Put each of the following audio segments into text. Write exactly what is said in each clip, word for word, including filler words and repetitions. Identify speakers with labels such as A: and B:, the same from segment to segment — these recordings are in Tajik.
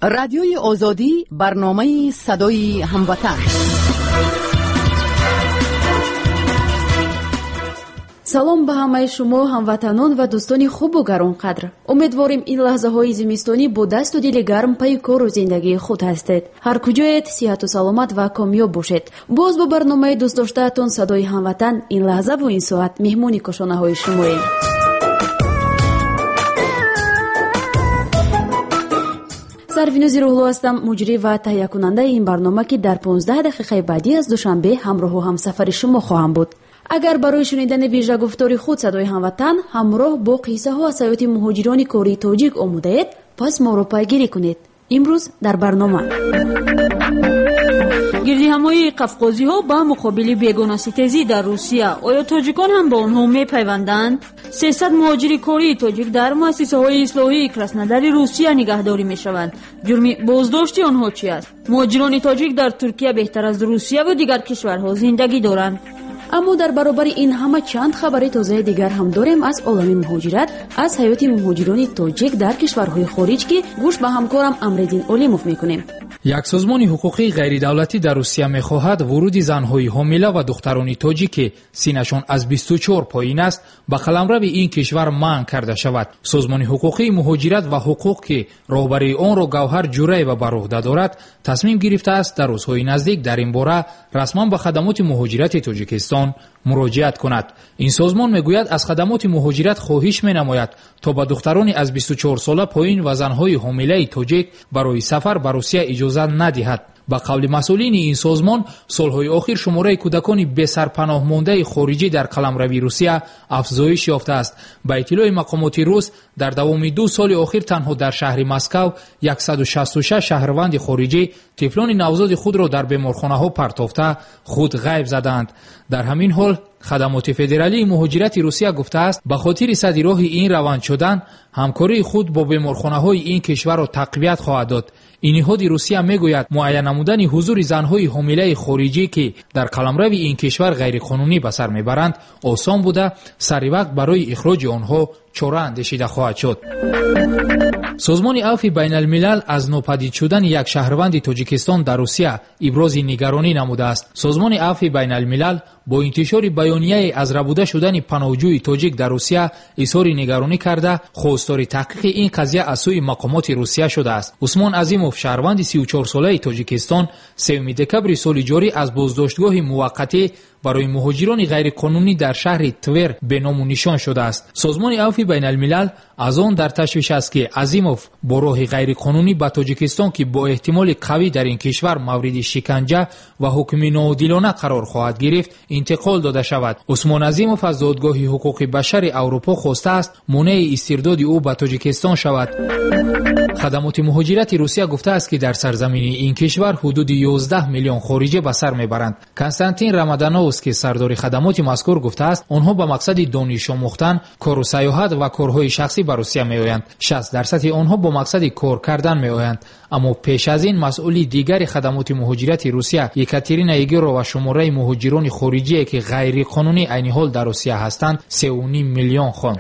A: Радиои Озодӣ, барномаи садои ҳамватан.
B: Салом ба ҳамаи шумо ҳамватанон ва дӯстони хубу гаронқадр. Умедворем ин лаҳзаҳои зимистонӣ бо дасту дили гарм пайи кору зиндагии худ ҳастед. Ҳар куҷоед сиҳату саломат ва комёб бошед. Боз бо барномаи дӯстдоштаатон садои ҳамватан ин лаҳзаву ин соат меҳмони кошонаҳои шумоем. Сарвинози Рӯҳло ҳастам, муҷрӣ ва таҳиякунандаи ин барнома, ки дар понздаҳ дақиқаи баъдӣ аз Душанбе ҳамроҳу ҳамсафари шумо хоҳам буд. Агар барои шунидани вижагуфтори худ садои ҳамватан ҳамроҳ бо қиссаҳо аз ҳаёти муҳоҷирони кории тоҷик омодаед, пас моро пайгирӣ кунед. Имрӯз дар барнома
C: гирдиҳамоии қафқозиҳо ба муқобили бегонаситезӣ дар Русия. Оё тоҷикон ҳам ба онҳо мепайванданд? Сесад муҳоҷири кории тоҷик дар муассисаҳои ислоҳии Краснодари Русия нигаҳдорӣ мешаванд. Ҷурми боздошти онҳо чи аст? Муҳоҷирони тоҷик дар Туркия беҳтар аз Русия ва дигар кишварҳо зиндагӣ доранд.
B: Аммо дар баробари ин ҳама чанд хабари тозаи дигар ҳам дорем аз олами муҳоҷират, аз ҳаёти муҳоҷирони тоҷик дар кишварҳои хориҷ, ки гӯш ба ҳамкорам Амриддин Олимов мекунем.
D: Як созмони ҳуқуқии ғайридавлатӣ дар Русия мехоҳад вуруди занҳои ҳомила ва духтарони тоҷик, ки синнашон аз бисту чор поин аст, ба қаламрави ин кишвар манъ карда шавад. Созмони ҳуқуқии муҳоҷират ва ҳуқуқ, ки роҳбарии онро Гавҳар Ҷураева бар уҳда дорад, тасмим гирифтааст дар рӯзҳои наздик дар ин бора расман ба хадамоти муҳоҷирати Тоҷикистон муроҷиат кунад. Ин созмон мегӯяд аз хадамоти муҳоҷират хоҳиш менамояд то ба духтарони аз бисту чор сола поин ва занҳои ҳомилаи тоҷик барои сафар ба Русия иҷозат надиҳад. Ба қавли масъулини ин созмон, солҳои охир шумораи кӯдакони бесарпаноҳмондаи хориҷӣ дар қаламрави Русия афзоиш ёфтааст. Ба иттилои мақомоти рус, дар давоми ду соли охир танҳо дар шаҳри Москав яксаду шасту шаш шаҳрванди хориҷӣ тифлони навзоди худро дар беморхонаҳо партофта худ ғайб задаанд. Дар ҳамин ҳол хадамоти федералии муҳоҷирати Русия гуфтааст, ба хотири сади роҳи ин раванд шудан ҳамкории худ бо беморхонаҳои ин кишварро тақвият хоҳад дод. Ин ниҳоди Русия мегӯяд муайян намудани ҳузури занҳои ҳомилаи хориҷӣ, ки дар қаламрави ин кишвар ғайриқонунӣ ба сар мебаранд, осон буда, сари вақт барои ихроҷи онҳо чора андешида хоҳад шуд. Созмони Авфи Байналмилал аз нопадид шудани як шаҳрванди Тоҷикистон дар Русия ибрози нигаронӣ намудааст. Созмони Авфи Байналмилал бо интишори баёнияе аз рабуда шудани паноҳҷӯи тоҷик дар Русия изҳори нигаронӣ карда, хостори таҳқиқи ин қазия аз сӯи мақомоти Русия шудааст. Усмон Азимов, шаҳрванди сию чорсолаи Тоҷикистон, сеюми декабри соли ҷорӣ аз боздоштгоҳи муваққатӣ барои муҳоҷирони ғайриқонунӣ дар шаҳри Твер беному нишон шудааст. Созмони Авфи Байналмилал аз он дар ташвиш аст, ки Азимов бо роҳи ғайриқонунӣ ба Тоҷикистон, ки бо эҳтимоли қавӣ дар ин кишвар мавриди шиканҷа ва ҳукми ноодилона қарор хоҳад гирифт, интиқол дода шавад. Усмон Азимов аз додгоҳи ҳуқуқи башари Аврупо хостааст монеи истирдоди ӯ ба Тоҷикистон шавад. Хадамоти муҳоҷирати Русия гуфтааст, ки дар сарзамини ин кишвар ҳудуди ёздаҳ миллион хориҷӣ ба сар мебаранд. Константин Рамадановский, сардори хадамоти мазкур, гуфтааст онҳо ба мақсади дониш омӯхтан, кору сайёҳат ва корҳои шахсӣ ба Русия меоянд. шаст дарсади онҳо бо мақсади кор кардан меоянд. Аммо пеш аз ин масъули дигари хадамоти муҳоҷирати Русия Екатерина Егорова шумораи муҳоҷирони хориҷие, ки ғайриқонунӣ айни ҳол дар Русия ҳастанд, сеу ним миллион хонд.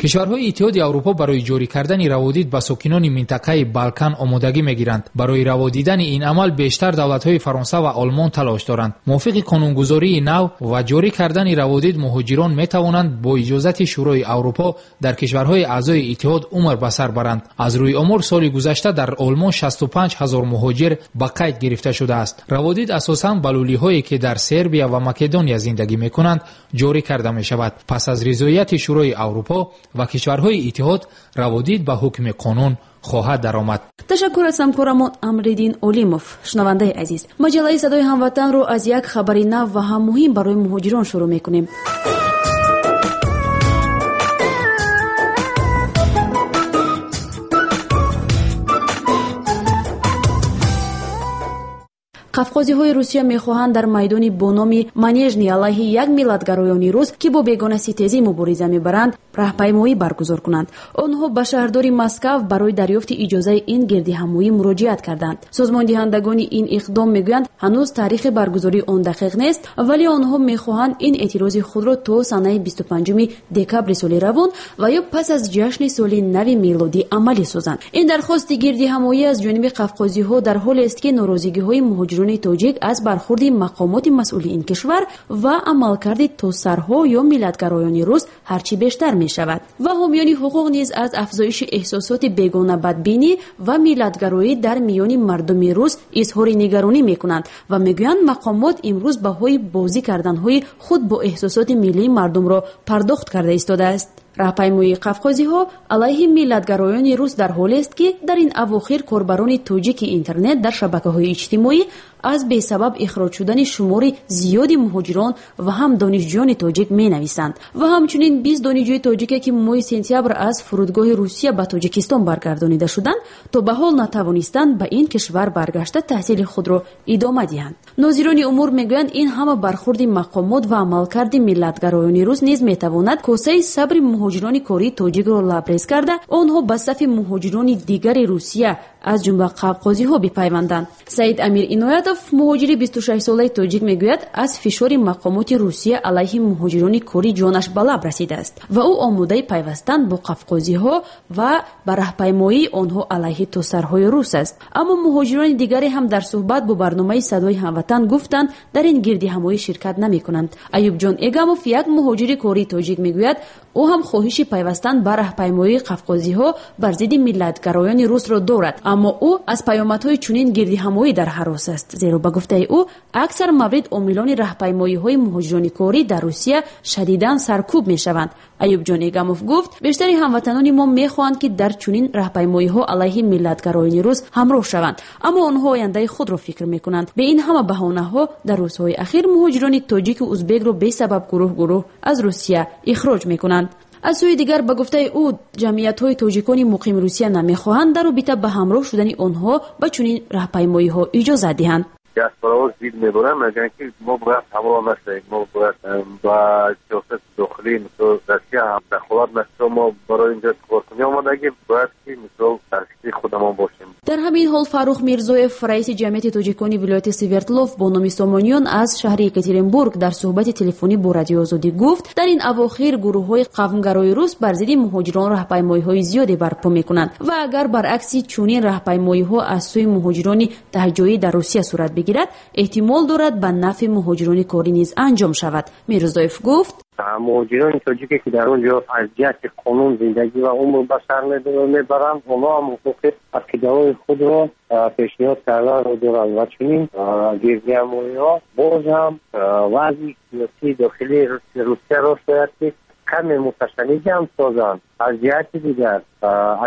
D: Кишварҳои Иттиҳоди Аврупо барои ҷорӣ кардани раводид ба сокинони минтақаи Балкан омодагӣ мегиранд. Барои раводидани ин амал бештар давлатҳои Фаронса ва Олмон талош доранд. Мувофиқи қонунгузории нав ва ҷорӣ кардани раводид, муҳоҷирон метавонанд бо иҷозати Шӯрои Аврупо дар кишварҳои аъзои иттиҳод умр ба сар баранд. Аз рӯи омор, соли гузашта дар Олмон шасту панҷ ҳазор муҳоҷир ба қайд гирифта шудааст. Раводид асосан ба лулиҳое, ки дар Сербия ва Македония зиндагӣ мекунанд, ҷорӣ карда мешавад. Пас аз ризоияти Шӯрои Аврупо ва кишварҳои иттиҳод, раводид ба ҳукми қонун хоҳад даромад.
B: Ташаккур аз ҳамкорамон Амриддин Олимов. Шунавандаи азиз, маҷаллаи садои ҳамватанро аз як хабари нав ва ҳам муҳим барои муҳоҷирон шурӯъ мекунем. Қафқозиҳои Русия мехоҳанд дар майдони бо номи Манежни алайҳи як миллатгароёни рус, ки бо бегонаситезӣ мубориза мебаранд, раҳпаймоӣ баргузор кунанд. Онҳо ба шаҳрдори Москав барои дарёфти иҷозаи ин гирдиҳамоӣ муроҷиат карданд. Созмондиҳандагони ин иқдом мегӯянд, ҳанӯз таърихи баргузории он дақиқ нест, вале онҳо мехоҳанд ин эътирози худро то санаи бисту панҷуми декабри соли равон ва ё пас аз ҷашни соли нави мелодӣ амалӣ созанд. Ин дархости гирдиҳамоӣ аз ҷониби қафқозиҳо дар ҳолест, ки норозигиҳои муҳоҷирони тоҷик аз бархурди мақомоти масъули ин кишвар ва амалкарди тосарҳо ё миллатгароёни рус ҳарчи бештар мешавад. Ва ҳомиёни ҳуқуқ низ аз афзоиши эҳсосоти бегонабадбинӣ ва миллатгароӣ дар миёни мардуми рус изҳори нигаронӣ мекунанд ва мегӯянд, мақомот имрӯз баҳои бозӣ карданҳои худ бо эҳсосоти миллии мардумро пардохт карда истодааст. Раҳпаймоии қафқозиҳо алайҳи миллатгароёни рус дар ҳолест, ки дар ин авохир корбарони тоҷики интернет дар шабакаҳои иҷтимоӣ аз бесабаб ихроҷ шудани шумори зиёди муҳоҷирон ва ҳам донишҷӯёни тоҷик менависанд. Ва ҳамчунин бист донишҷӯи тоҷике, ки моҳи сентябр аз фурудгоҳи Русия ба Тоҷикистон баргардонида шуданд, то ба ҳол натавонистанд ба ин кишвар баргашта таҳсили худро идома диҳанд. Нозирони умур мегӯянд, ин ҳама бархурди мақомот ва амалкарди миллатгароёни рус низ метавонад косаи сабри муҳоҷирони кории тоҷикро лабрез карда, онҳо ба сафи муҳоҷирони дигари Русия аз ҷумла қафқозиҳо бипайванданд. Саид Амир Иноятов, муҳоҷири бисту шашсолаи тоҷик, мегӯяд, аз фишори мақомоти Русия алайҳи муҳоҷирони корӣ ҷонаш ба лаб расидааст ва ӯ омодаи пайвастан бо қафқозиҳо ва ба раҳпаймоии онҳо алайҳи тосарҳои рус аст. Аммо муҳоҷирони дигаре ҳам дар суҳбат бо барномаи Садои ҳамватан гуфтанд, дар ин гирдиҳамоӣ ширкат намекунанд. Аюбҷон Эгамов, як муҳоҷири кории тоҷик, мегӯяд, ӯ ҳам хоҳиши пайвастан ба раҳпаймоии қафқозиҳо бар зидди миллатгароёни русро дорад, аммо ӯ аз паёмадҳои чунин гирдиҳамоӣ дар ҳарос аст, зеро ба гуфтаи ӯ аксар маврид омилони раҳпаймоиҳои муҳоҷирони корӣ дар Русия шадидан саркӯб мешаванд. Аюбҷон Эгамов гуфт, бештари ҳамватанони мо мехоҳанд, ки дар чунин раҳпаймоиҳо алайҳи миллатгароёни рус ҳамроҳ шаванд, аммо онҳо ояндаи худро фикр мекунанд. Бе ин ҳама баҳонаҳо дар рӯзҳои ахир муҳоҷирони тоҷику узбекро бесабаб гурӯҳ гурӯҳ аз Русия ихроҷ мекунанд. Аз сӯи дигар, ба гуфтаи ӯ, ҷамъиятҳои тоҷикони муқими Русия намехоҳанд дар робита ба ҳамроҳ шудани онҳо ба чунин раҳпаймоиҳо иҷозат диҳанд.
E: Диаспораҳо зид мебаранд, мегӯянд, ки мо бояд ҳамроҳ нашавем, мо бояд ба сиёсати дохилии мисол Россия ҳам дахолат нашавем, мо барои инҷо коркунӣ омадагӣ, бояд ки мисол дар фикри худамон бошем.
B: Дар ҳамин ҳол Фаррух Мирзоев, раиси ҷамъияти тоҷикони вилояти Свердлов бо номи Сомониён аз шаҳри Екатеринбург дар суҳбати телефонӣ бо Радиои Озодӣ гуфт, дар ин авохир гурӯҳҳои қавмгарои рус бар зидди муҳоҷирон раҳпаймоиҳои зиёде барпо мекунанд ва агар баръакси чунин раҳпаймоиҳо аз сӯи муҳоҷирони таҳҷоӣ дар Русия сурат бигирад, эҳтимол дорад ба нафъи муҳоҷирони корӣ низ анҷом шавад. Мирзоев гуфт,
E: муҳоҷирони тоҷике, ки дар он ҷо аз ҷиҳати қонун зиндагӣ ва умр ба сар мебаранд, онҳо ҳам ҳуқуқи ақидаҳои худро пешниҳод карданро доранд ва чунин гирдиҳамоиҳо боз ҳам вазъи сиёсии дохилии Русияро шояд ки каме муташанниҷ ҳам созанд. Аз ҷиҳати дигар,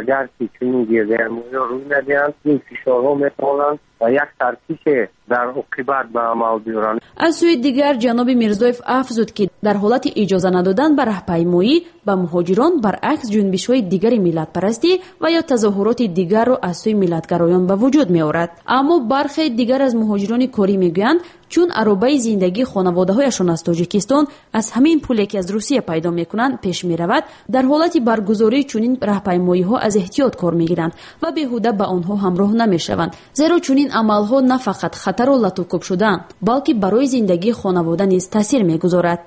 E: агар ки чунин гирдиҳамоиҳо рӯй надиҳанд, ин фишорҳо метавонанд як таркише дар оқибат ба амал биёранд.
B: Аз сӯи дигар, ҷаноби Мирзоев афзуд, ки дар ҳолати иҷоза надодан ба раҳпаймоӣ ба муҳоҷирон, баръакс ҷунбишҳои дигари миллатпарастӣ ва ё тазоҳуроти дигарро аз сӯи миллатгароён ба вуҷуд меорад. Аммо бархе дигар аз муҳоҷирони корӣ мегӯянд, чун аробаи зиндагии хонаводаҳояшон аз Тоҷикистон аз ҳамин пуле, ки аз Русия пайдо мекунанд, пеш меравад, дар ҳолати баргузории чунин раҳпаймоиҳо аз эҳтиёт кор мегиранд ва беҳуда ба онҳо ҳамроҳ намешаванд, зеро чунин амалҳо на фақат хатару латукӯб шудан, балки барои зиндагии хонавода низ таъсир мегузорад.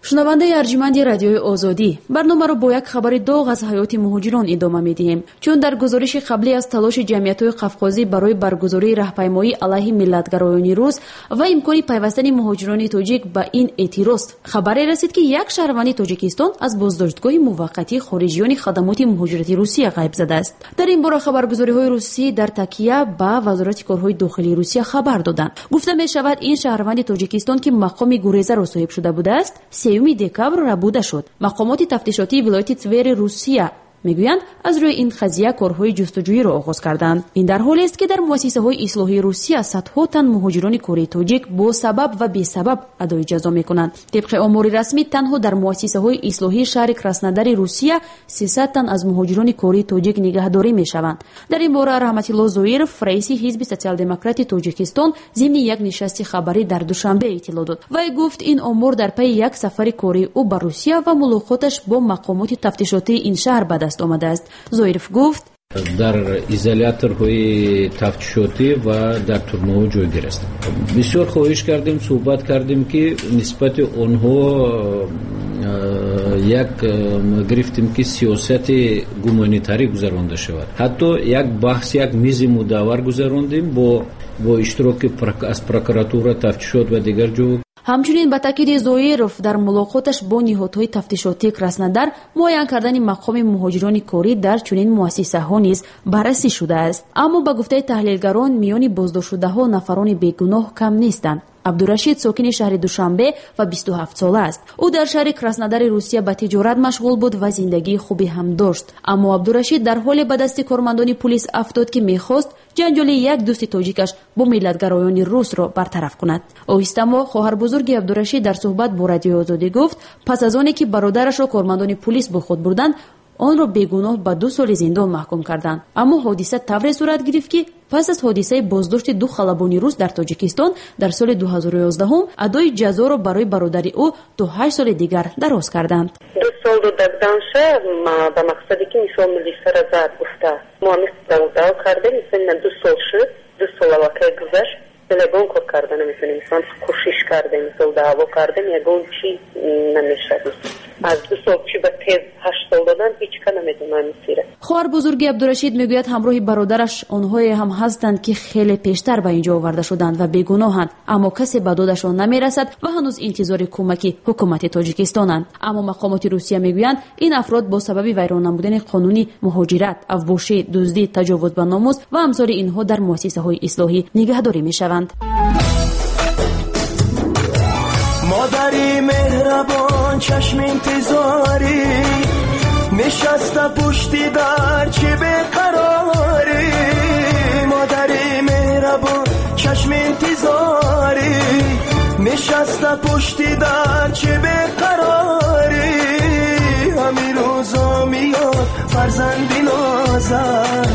B: Шунавандаи арҷманди Радиои Озодӣ, барномаро бо як хабари доғ аз ҳаёти муҳоҷирон идома медиҳем. Чун дар гузориши қаблӣ аз талоши ҷамъиятҳои қафқозӣ барои баргузории раҳпаймоӣ алайҳи миллатгароёни рус ва имкони пайвастани муҳоҷирони тоҷик ба ин эътироз хабаре расид, ки як шаҳрванди Тоҷикистон аз боздоштгоҳи муваққатии хориҷиёни хадамоти муҳоҷирати Русия ғайб задааст. Дар ин бора хабаргузориҳои русӣ дар такя ба Вазорати корҳои дохилии Русия хабар доданд. Гуфта мешавад, ин шаҳрванди Тоҷикистон, ки мақоми гурезаро соҳиб шуда будааст, сеюми декабр рабуда шуд. Мақомоти тафтишотии вилояти Твери Русия Мегӯянд, аз рӯи ин қазия корҳои ҷустуҷӯиро оғоз карданд. Ин дар ҳолест, ки дар муассисаҳои ислоҳии Русия садҳо тан муҳоҷирони кории тоҷик бо сабаб ва бесабаб адои ҷазо мекунанд. Тибқи омори расмӣ, танҳо дар муассисаҳои ислоҳии шаҳри Краснодари Русия сесад тан аз муҳоҷирони кории тоҷик нигаҳдорӣ мешаванд. Дар ин бора Раҳматилло Зоиров, раиси ҳизби Социал-демократи Тоҷикистон, зимни як нишасти хабарӣ дар Душанбе иттилоъ дод. Вай гуфт, ин омор дар пайи як сафари кории ӯ ба Русия ва мулоқоташ бо мақомоти тафтишотии ин шаҳр ба даст омадааст. Зоиров гуфт:
F: дар изоляторҳои тафтишотӣ ва дар турмаҳо ҷойгир ҳастанд. Бисёр хоҳиш кардем, суҳбат кардем, ки нисбати онҳо як гирифтем, ки сиёсати гуманитарӣ гузаронда шавад. Ҳатто як баҳс, як мизи мудаввар гузарондем бо бо иштироки аз прокуратура, тафтишот ва дигар ҷо.
B: Ҳамчунин ба таъкиди Зоиров, дар мулоқоташ бо ниҳодҳои тафтишотии Краснодар муайян кардани мақоми муҳоҷирони корӣ дар чунин муассисаҳо низ баррасӣ шудааст. Аммо ба гуфтаи таҳлилгарон, миёни боздоштшудаҳо нафарони бегуноҳ кам нестанд. Абдурашид сокини шаҳри Душанбе ва бисту ҳафт сола аст. Ӯ дар шаҳри Краснодари Русия ба тиҷорат машғул буд ва зиндагии хубе ҳам дошт. Аммо Абдурашид дар ҳоле ба дасти кормандони пулис афтод, ки мехост ҷанҷоли як дӯсти тоҷикаш бо миллатгароёни русро бартараф кунад. Оҳистамо хоҳарбузурги Абдурашид дар суҳбат бо Радиои Озодӣ гуфт, пас аз оне ки бародарашро кормандони пулис бо худ бурданд, онро бегуноҳ ба ду соли зиндон маҳкум карданд. Аммо ҳодиса тавре сурат гирифт, ки пас аз ҳодисаи боздошти ду халабони рус дар Тоҷикистон дар соли ду ҳазору ёздаҳум адои ҷазоро барои бародари ӯ то ҳашт соли дигар дароз карданд.
G: Ду сол додаданша ба мақсаде ки мисол милисара зад гуфта. Мо ҳамин даъво кардем, мисол ду сол шуд, ду сол аллакай гузашт, ягон кор карда наметавонем. Мисол кӯшиш кардем, мисол даъво кардем, ягон чи намешавад. Аз ду сол чи ба тез ҳашт сол додан, ҳеҷ ка намедонам сира.
B: Хоҳарбузурги Абдурашид мегӯяд, ҳамроҳи бародараш онҳое ҳам ҳастанд, ки хеле пештар ба инҷо оварда шуданд ва бегуноҳанд, аммо касе ба додашон намерасад ва ҳанӯз интизори кӯмаки ҳукумати Тоҷикистонанд. Аммо мақомоти Русия мегӯянд, ин афрод бо сабаби вайрон намудани қонуни муҳоҷират, авбошӣ, дуздӣ, таҷовуз ба номус ва амсоли инҳо дар муассисаҳои ислоҳӣ нигаҳдорӣ мешаванд.
H: Модари меҳрабон, чашми интизорӣ, нишаста пушти дар чӣ беқарорӣ. Модари меҳрабон, чашми интизорӣ, нишаста пушти дар чӣ беқарорӣ. Ҳамин рӯзо меёд фарзанди нозат,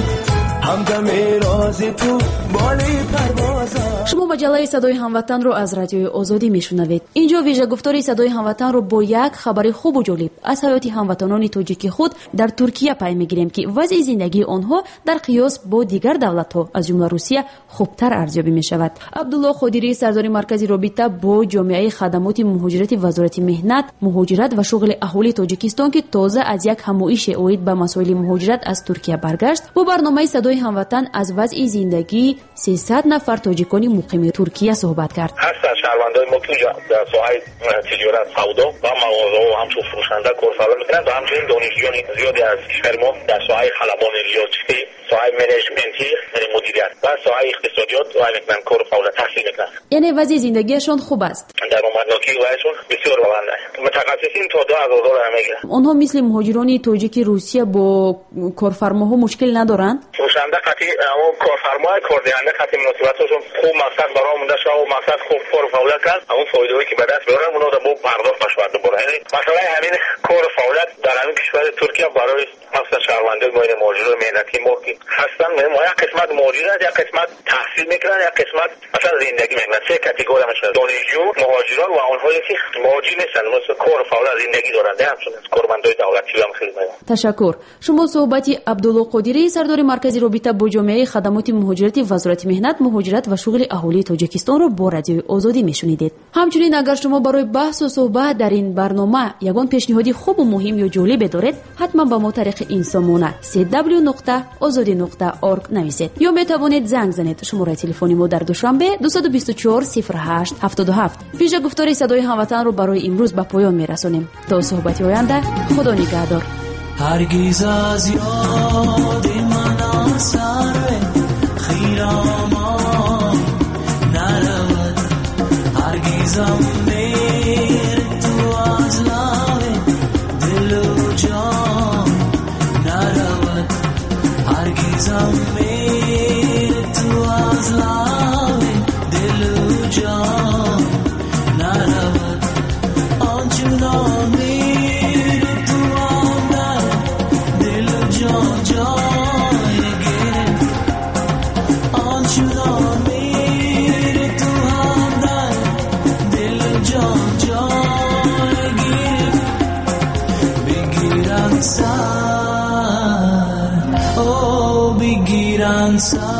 H: ҳамдами рози ту боли парвозат.
B: Шумо маҷаллаи Садои ҳамватанро аз Радиои Озодӣ мешунавед. Инҷо вижагуфтори Садои ҳамватанро бо як хабари хубу ҷолиб аз ҳаёти ҳамватанони тоҷики худ дар Туркия пай мегирем, ки вазъи зиндагии онҳо дар қиёс бо дигар давлатҳо, аз ҷумла Русия, хубтар арзёбӣ мешавад. Абдулло Қодирӣ, сардори маркази робита бо ҷомеаи хадамоти муҳоҷирати Вазорати меҳнат, муҳоҷират ва шуғли аҳолии Тоҷикистон, ки тоза аз як ҳамоише оид ба масоили муҳоҷират аз Туркия баргашт, бо барномаи Садои ҳамватан аз вазъи зиндагии сесад нафар тоҷикони муқими Туркия суҳбат кард.
I: Ҳастанд шаҳрвандои мо, ки дар соҳаи тиҷорат, савдо ва мағозаҳо ҳамчун фурӯшанда кор фаъолият мекунанд ва ҳамчунин донишҷӯёни зиёде аз кишвари мо дар соҳаи халабони риёзӣ, соҳаи менеҷментӣ, яъне мудирият ва соҳаи иқтисодиёт вай мекунанд, кор фаъолият таҳсил мекунанд.
B: Яъне вазъи зиндагиашон хуб аст.
I: Даромаднокии вайшон бисёр баланд аст. Мутахассисин то ду ҳазор доллар мегиранд.
B: Онҳо мисли муҳоҷирони тоҷики Русия бо корфармоҳо мушкил надоранд?
I: Фурӯшанда қатъи корфармо, кордиҳанда қатъи муносибатҳошон хуб, мақсад барои монда шава, мақсад хуб кор фаъолият кард, ҳамон фоидаҳое ки ба даст меоранд, онҳо бо пардохт мешавад дубора. Яъне масъалаи ҳамин кор фаъолият дар ҳамин кишвари Туркия барои махсусан шаҳрвандони мо, муҳоҷирони меҳнатии мо ки ҳастанд, мо як қисмат муҳоҷир аст, як қисмат таҳсил мекунанд, як қисмат масалан зиндагӣ мекунанд. Се категория мешавад: донишҷӯ, муҳоҷирон ва онҳое ки муҳоҷир нестанд, масалан кор фаъолият зиндагӣ доранд, ҳамчунин кормандони давлатӣ ҳам хеле меоянд.
B: Ташаккур. Шумо суҳбати Абдулло Қодирӣ, сардори маркази робита бо ҷомеаи хадамоти муҳоҷирати Вазорати меҳнат, муҳоҷират ва шуғли аҳолии Тоҷикистонро бо Радиои Озодӣ мешунидед. Ҳамчунин агар шумо барои баҳсу суҳбат дар ин барнома ягон пешниҳоди хубу муҳим ё ҷолибе доред, ҳатман ба мо тариқи ин сомона си дабл ю нуқта озодӣ нуқта орг нависед ё метавонед занг занед. Шумораи телефони мо дар Душанбе дусаду бисту чор сифр ҳашт ҳафтоду ҳафт. Вижагуфтори Садои ҳамватанро барои имрӯз ба поён мерасонем. То суҳбати оянда, Худо нигаҳдор.
H: ҳаргиз аз ёди ман сарве хиромон наравад, ҳаргизам мер ту аз лави дилу ҷон наравад. سر.